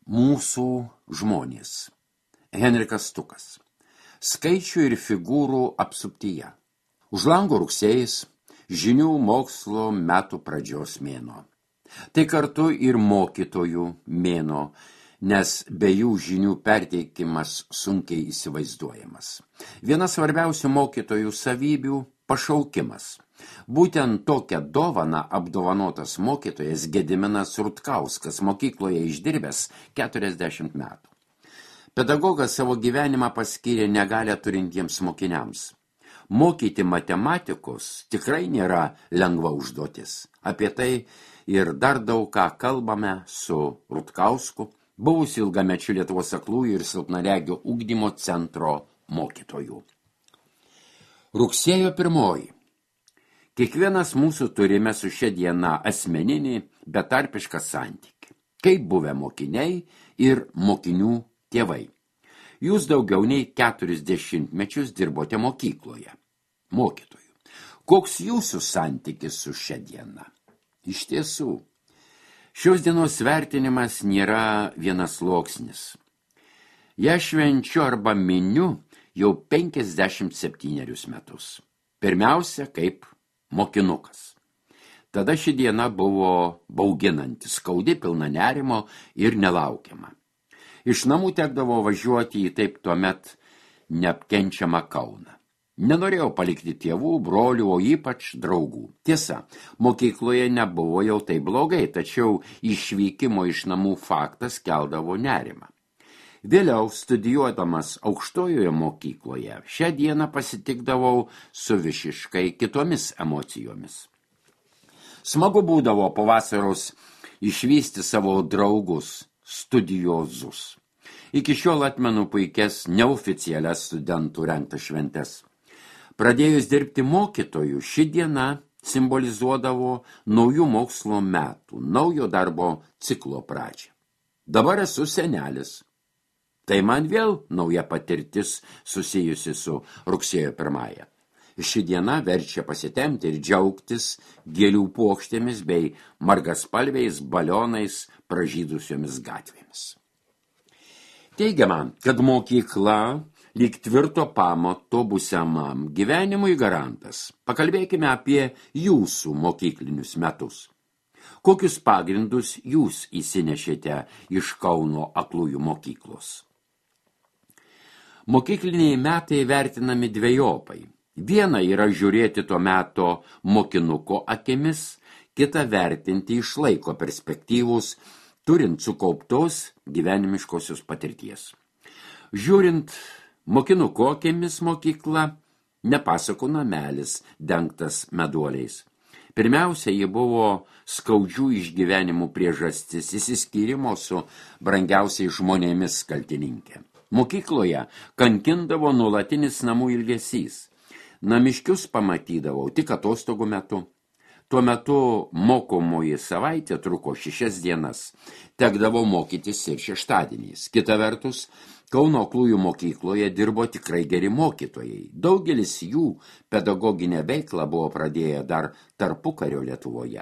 Mūsų žmonės. Henrikas Stukas. Skaičių ir figūrų apsuptyje. Už lango rugsėjis, žinių mokslo metų pradžios mėnuo. Tai kartu ir mokytojų mėnuo, nes be jų žinių perteikimas sunkiai įsivaizduojamas. Viena svarbiausių mokytojų savybių – pašaukimas. Būtent tokią dovaną apdovanotas mokytojas Gediminas Rutkauskas mokykloje išdirbęs 40 metų. Pedagogas savo gyvenimą paskyrė negalią turintiems mokiniams. Mokyti matematikos tikrai nėra lengva užduotis. Apie tai ir dar daug ką kalbame su Rutkausku, buvusiu ilgamečiu Lietuvos aklųjų ir silpnaregių ugdymo centro mokytojų. Rugsėjo 1. Kiekvienas mūsų turime su šia diena asmeninį, betarpišką santykį. Kaip buvę mokiniai ir mokinių tėvai. Jūs daugiau nei 40 mečius dirbote mokykloje. Mokytojų. Koks jūsų santykis su šia diena? Iš tiesų, šios dienos vertinimas nėra vienasluoksnis. Ja švenčiu arba miniu jau 57 metus. Pirmiausia, kaip mokinukas. Tada ši diena buvo bauginanti, skaudi, pilna nerimo ir nelaukiama. Iš namų tekdavo važiuoti į taip tuomet neapkenčiamą Kauną. Nenorėjau palikti tėvų, brolių, o ypač draugų. Tiesa, mokykloje nebuvo jau tai blogai, tačiau išvykimo iš namų faktas keldavo nerimą. Vėliau, studijuodamas aukštojoje mokykloje, šią dieną pasitikdavau su visiškai kitomis emocijomis. Smagu būdavo po vasaros išvysti savo draugus, studiozus. Iki šiol atmenu puikias neoficialias studentų rengtas šventes. Pradėjus dirbti mokytojų, ši diena simbolizuodavo naujų mokslo metų, naujo darbo ciklo pradžią. Dabar esu senelis. Tai man vėl nauja patirtis susijusi su rugsėjo 1. Ši diena verčia pasitemti ir džiaugtis gėlių puokštėmis bei margaspalviais balionais pražydusiomis gatvėmis. Teigiama, kad mokykla lyg tvirto pamato būsimam gyvenimui garantas. Pakalbėkime apie jūsų mokyklinius metus. Kokius pagrindus jūs įsinešėte iš Kauno aklųjų mokyklos? Mokykliniai metai vertinami dvejopai. Viena yra žiūrėti to meto mokinuko akimis, kita vertinti iš laiko perspektyvus, turint sukauptos gyvenimiškosios patirties. Žiūrint mokinuko akimis mokykla, nepasakų namelis dengtas meduoliais. Pirmiausia, ji buvo skaudžių išgyvenimų priežastis, išsiskyrimo su brangiausiais žmonėmis kaltininkė. Mokykloje kankindavo nuolatinis namų ilgesys. Namiškius pamatydavau tik atostogų metu. Tuo metu mokomoji savaitė truko 6 dienas. Tekdavo mokytis ir šeštadieniais. Kita vertus, Kauno aklųjų mokykloje dirbo tikrai geri mokytojai. Daugelis jų pedagoginę veiklą buvo pradėję dar tarpukario Lietuvoje.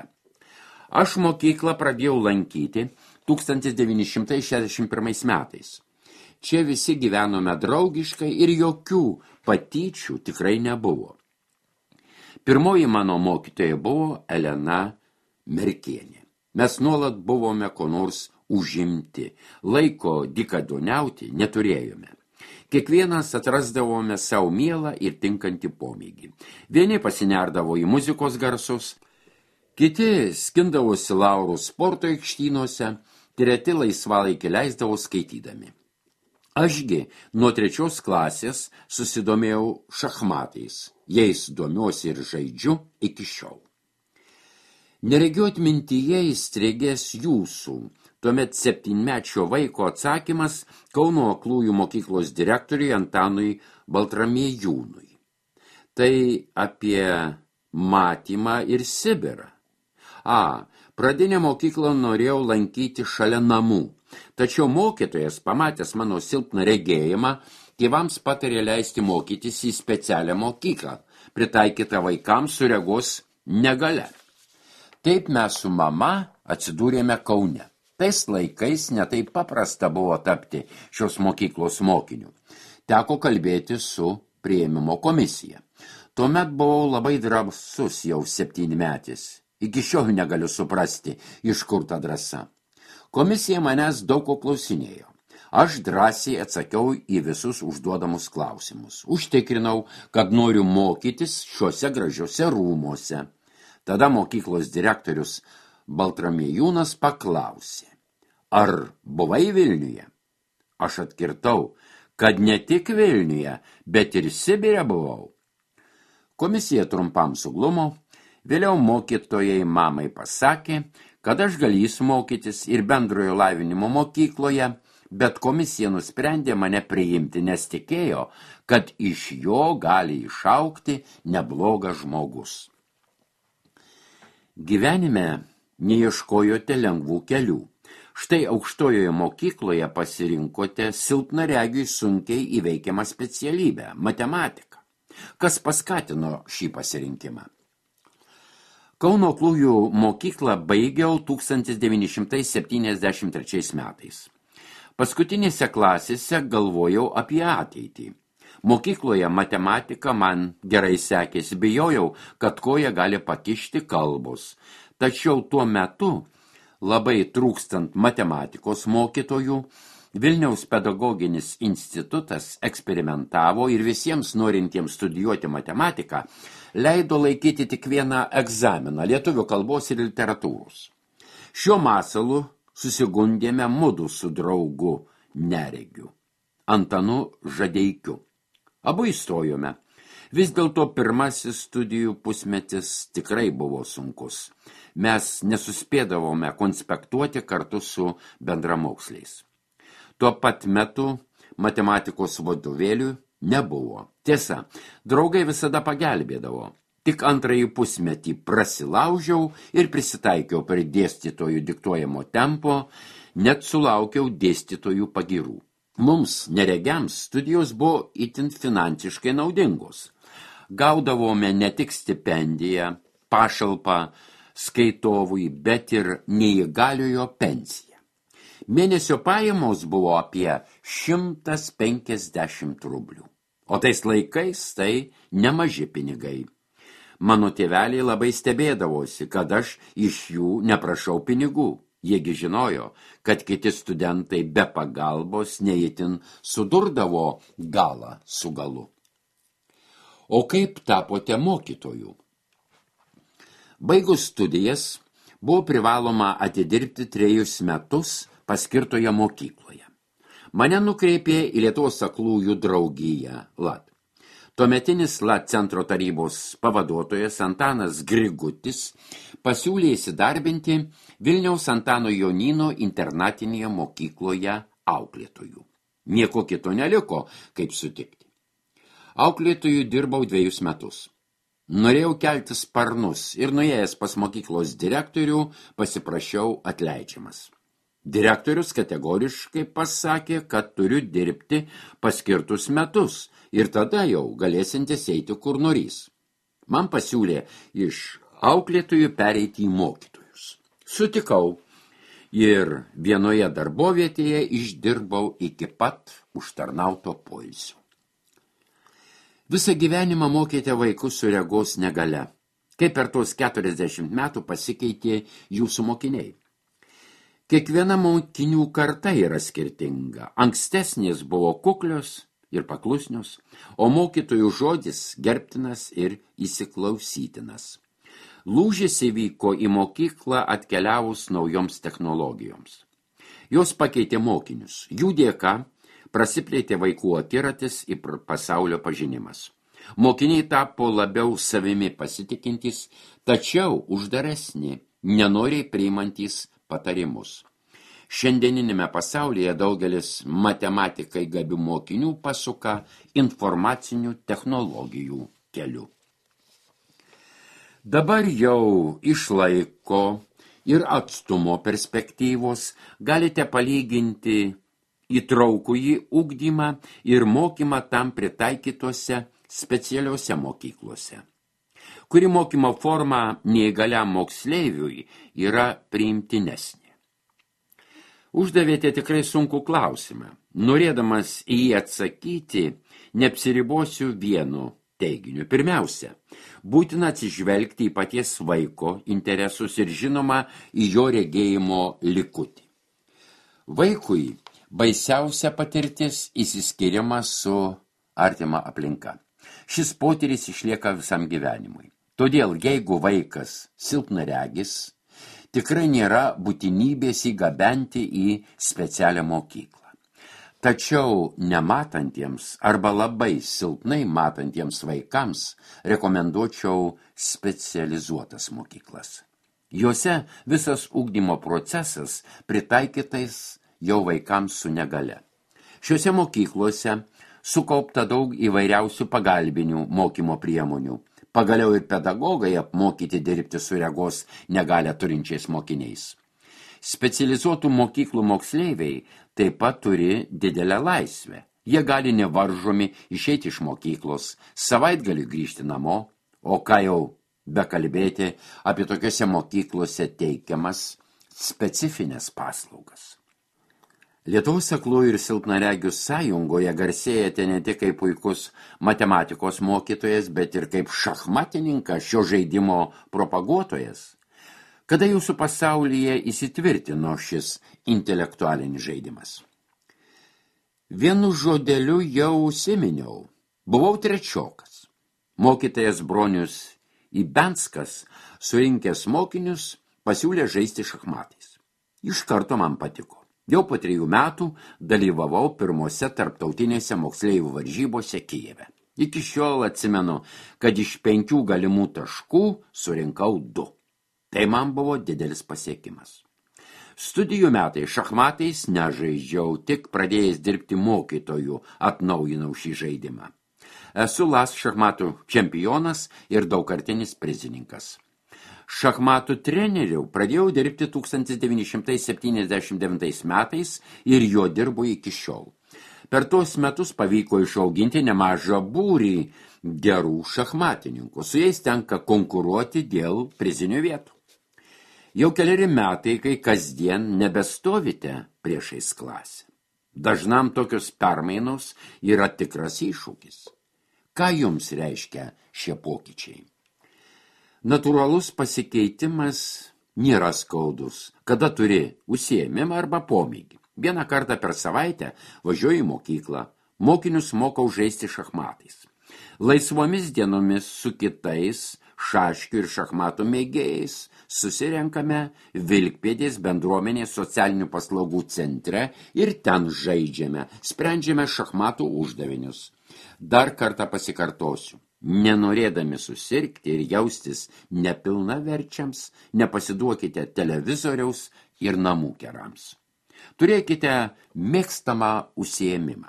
Aš mokyklą pradėjau lankyti 1961 metais. Čia visi gyvenome draugiškai ir jokių patyčių tikrai nebuvo. Pirmoji mano mokytoja buvo Elena Merkienė. Mes nuolat buvome ko nors užimti, laiko dykaduoniauti neturėjome. Kiekvienas atrasdavome savo mielą ir tinkantį pomėgį. Vieni pasinerdavo į muzikos garsus, kiti skindavosi laurų sporto aikštynuose, treti laisvalaikį leisdavo skaitydami. Ašgi nuo 3 klasės susidomėjau šachmatais, jais domiuosi ir žaidžiu iki šiol. Neregiu atmintyje įstrigęs jūsų, tuomet 7-mečio vaiko atsakymas Kauno aklųjų mokyklos direktoriui Antanui Baltramiejūnui. Tai apie matymą ir Sibirą. Pradinę mokyklą norėjau lankyti šalia namų. Tačiau mokytojas, pamatęs mano silpną regėjimą, tėvams patarė leisti mokytis į specialią mokyklą, pritaikytą vaikams su regos negalia. Taip mes su mama atsidūrėme Kaune. Tais laikais netaip paprasta buvo tapti šios mokyklos mokiniu. Teko kalbėti su priėmimo komisija. Tuomet buvau labai drąsus jau 7-metis. Iki šiol negaliu suprasti, iš kur ta drąsa. Komisija manęs daug ko klausinėjo. Aš drąsiai atsakiau į visus užduodamus klausimus. Užtikrinau, kad noriu mokytis šiuose gražiuose rūmuose. Tada mokyklos direktorius Baltramiejūnas paklausė, ar buvai Vilniuje? Aš atkirtau, kad ne tik Vilniuje, bet ir Sibire buvau. Komisija trumpam suglumo, vėliau mokytojai mamai pasakė, kad aš galėsiu mokytis ir bendrojo lavinimo mokykloje, bet komisija nusprendė mane priimti, nes tikėjo, kad iš jo gali išaugti neblogas žmogus. Gyvenime neieškojote lengvų kelių. Štai aukštojoje mokykloje pasirinkote silpnaregiui sunkiai įveikiamą specialybę – matematiką. Kas paskatino šį pasirinkimą? Kauno aklųjų mokyklą baigiau 1973 metais. Paskutinėse klasėse galvojau apie ateitį. Mokykloje matematika man gerai sekėsi, bijojau, kad koja gali pakišti kalbos. Tačiau tuo metu, labai trūkstant matematikos mokytojų, Vilniaus pedagoginis institutas eksperimentavo ir visiems norintiems studijuoti matematiką leido laikyti tik vieną egzaminą lietuvių kalbos ir literatūros. Šiuo masalu susigundėme mudu su draugu neregiu, Antanu Žadeikiu. Abu įstojome. Vis dėlto pirmasis studijų pusmetis tikrai buvo sunkus. Mes nesuspėdavome konspektuoti kartu su bendramoksliais. Tuo pat metu matematikos vadovėlių nebuvo. Tiesa, draugai visada pagelbėdavo. Tik antrąjį pusmetį prasilaužiau ir prisitaikiau prie dėstytojų diktuojamo tempo, net sulaukiau dėstytojų pagirų. Mums, neregiams, studijos buvo itin finansiškai naudingos. Gaudavome ne tik stipendiją, pašalpą skaitovui, bet ir neįgaliojo pensiją. Mėnesio pajamos buvo apie 150 rublių. O tais laikais tai nemaži pinigai. Mano tėveliai labai stebėdavosi, kad aš iš jų neprašau pinigų. Jiegi žinojo, kad kiti studentai be pagalbos neįtin sudurdavo galą su galu. O kaip tapote mokytoju? Baigus studijas buvo privaloma atidirbti 3 metus paskirtoje mokykloje. Mane nukreipė į Lietuvos aklųjų draugiją LAT. Tuometinis LAT centro tarybos pavaduotojas Antanas Grigutis pasiūlė įsidarbinti Vilniaus Antano Jonyno internatinėje mokykloje auklėtojų. Nieko kito neliko, kaip sutikti. Auklėtojų dirbau 2 metus. Norėjau kelti sparnus ir nuėjęs pas mokyklos direktorių pasiprašiau atleidžiamas. Direktorius kategoriškai pasakė, kad turiu dirbti paskirtus metus ir tada jau galėsintis eiti kur norys. Man pasiūlė iš auklėtojų pereiti į mokytojus. Sutikau ir vienoje darbovietėje išdirbau iki pat užtarnauto poilsio. Visą gyvenimą mokėte vaikus su regos negalia. Kaip per tos 40 metų pasikeitė jūsų mokiniai? Kiekviena mokinių karta yra skirtinga. Ankstesnės buvo kuklios ir paklusnios, o mokytojų žodis gerbtinas ir įsiklausytinas. Lūžis įvyko į mokyklą atkeliavus naujoms technologijoms. Jos pakeitė mokinius. Jų dėka prasiplėtė vaikų akiratis ir pasaulio pažinimas. Mokiniai tapo labiau savimi pasitikintys, tačiau uždaresni, nenoriai priimantys patarimus. Šiandieninėme pasaulyje daugelis matematikai gabių mokinių pasuka informacinių technologijų keliu. Dabar jau iš laiko ir atstumo perspektyvos galite palyginti įtraukųjį ugdymą ir mokymą tam pritaikytose specialiose mokyklose, kuri mokymo forma neįgaliam moksleiviui yra priimtinesnė. Uždavėte tikrai sunkų klausimą. Norėdamas į jį atsakyti, neapsiribosiu vienu teiginiu. Pirmiausia, būtina atsižvelgti į paties vaiko interesus ir žinoma į jo regėjimo likutį. Vaikui baisiausia patirtis įsiskirimas su artima aplinka. Šis potyris išlieka visam gyvenimui. Todėl, jeigu vaikas silpnaregis, tikrai nėra būtinybės įgabenti į specialią mokyklą. Tačiau nematantiems arba labai silpnai matantiems vaikams rekomenduočiau specializuotas mokyklas. Juose visas ugdymo procesas pritaikytais jau vaikams su negale. Šiuose mokyklose sukaupta daug įvairiausių pagalbinių mokymo priemonių. Pagaliau ir pedagogai apmokyti dirbti su regos negalę turinčiais mokiniais. Specializuotų mokyklų moksleiviai taip pat turi didelę laisvę. Jie gali nevaržomi išeiti iš mokyklos, savaitgalį grįžti namo, o ką jau bekalbėti apie tokiose mokyklose teikiamas specifines paslaugas. Lietuvos aklųjų ir silpnaregių sąjungoje garsėjate ne tik kaip puikus matematikos mokytojas, bet ir kaip šachmatininkas, šio žaidimo propaguotojas. Kada jūsų pasaulyje įsitvirtino šis intelektualinis žaidimas? Vienu žodeliu jau užsiminiau. Buvau trečiokas. Mokytojas Bronius Ibenskas, surinkęs mokinius, pasiūlė žaisti šachmatais. Iš karto man patiko. Jau po 3 metų dalyvavau pirmose tarptautinėse moksleivių varžybose Kijeve. Iki šiol atsimenu, kad iš 5 galimų taškų surinkau 2. Tai man buvo didelis pasiekimas. Studijų metai šachmatais nežaidžiau, tik pradėjęs dirbti mokytojų atnaujinau šį žaidimą. Esu LAS šachmatų čempionas ir daugkartinis prizininkas. Šachmatų treneriu pradėjau dirbti 1979 metais ir jo dirbu iki šiol. Per tuos metus pavyko išauginti nemažą būrį gerų šachmatininkų. Su jais tenka konkuruoti dėl prizinių vietų. Jau 4 metai, kai kasdien nebestovite priešais klasę. Dažnam tokios permainos yra tikras iššūkis. Ką jums reiškia šie pokyčiai? Natūralus pasikeitimas nėra skaudus, kada turi užsiėmimą arba pomėgį. Vieną kartą per savaitę važiuoju į mokyklą, mokinius mokau žaisti šachmatais. Laisvomis dienomis su kitais šaškių ir šachmatų mėgėjais susirenkame Vilkpėdės bendruomenės socialinių paslaugų centre ir ten žaidžiame, sprendžiame šachmatų uždavinius. Dar kartą pasikartosiu. Nenorėdami susirgti ir jaustis nepilnaverčiams, nepasiduokite televizoriaus ir namų kerams. Turėkite mėgstamą užsiėmimą.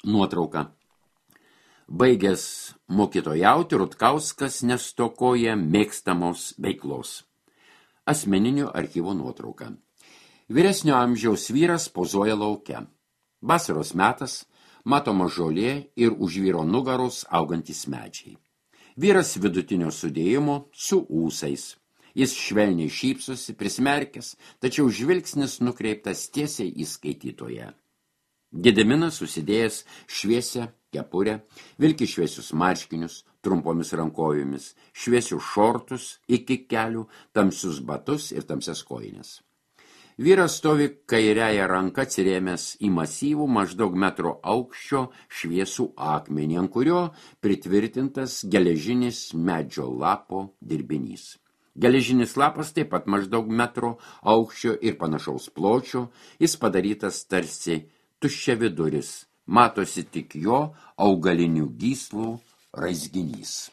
Nuotrauka. Baigęs mokytojauti, Rutkauskas nestokoja mėgstamos veiklos. Asmeninio archyvo nuotrauka. Vyresnio amžiaus vyras pozuoja lauke. Vasaros metas, matoma žolė ir už vyro nugaros augantys medžiai. Vyras vidutinio sudėjimo su ūsais. Jis švelniai šypsosi, prismerkęs, tačiau žvilgsnis nukreiptas tiesiai į skaitytoją. Gediminas susidėjęs šviesią kepurę, vilki šviesius marškinius, trumpomis rankojomis, šviesius šortus iki kelių, tamsius batus ir tamsias kojines. Vyras stovi kairiąją ranką atsirėmęs į masyvų maždaug metro aukščio šviesų akmenį, ant kurio pritvirtintas geležinis medžio lapo dirbinys. Geležinis lapas taip pat maždaug metro aukščio ir panašaus pločio, jis padarytas tarsi tuščiaviduris, matosi tik jo augalinių gyslų raizginys.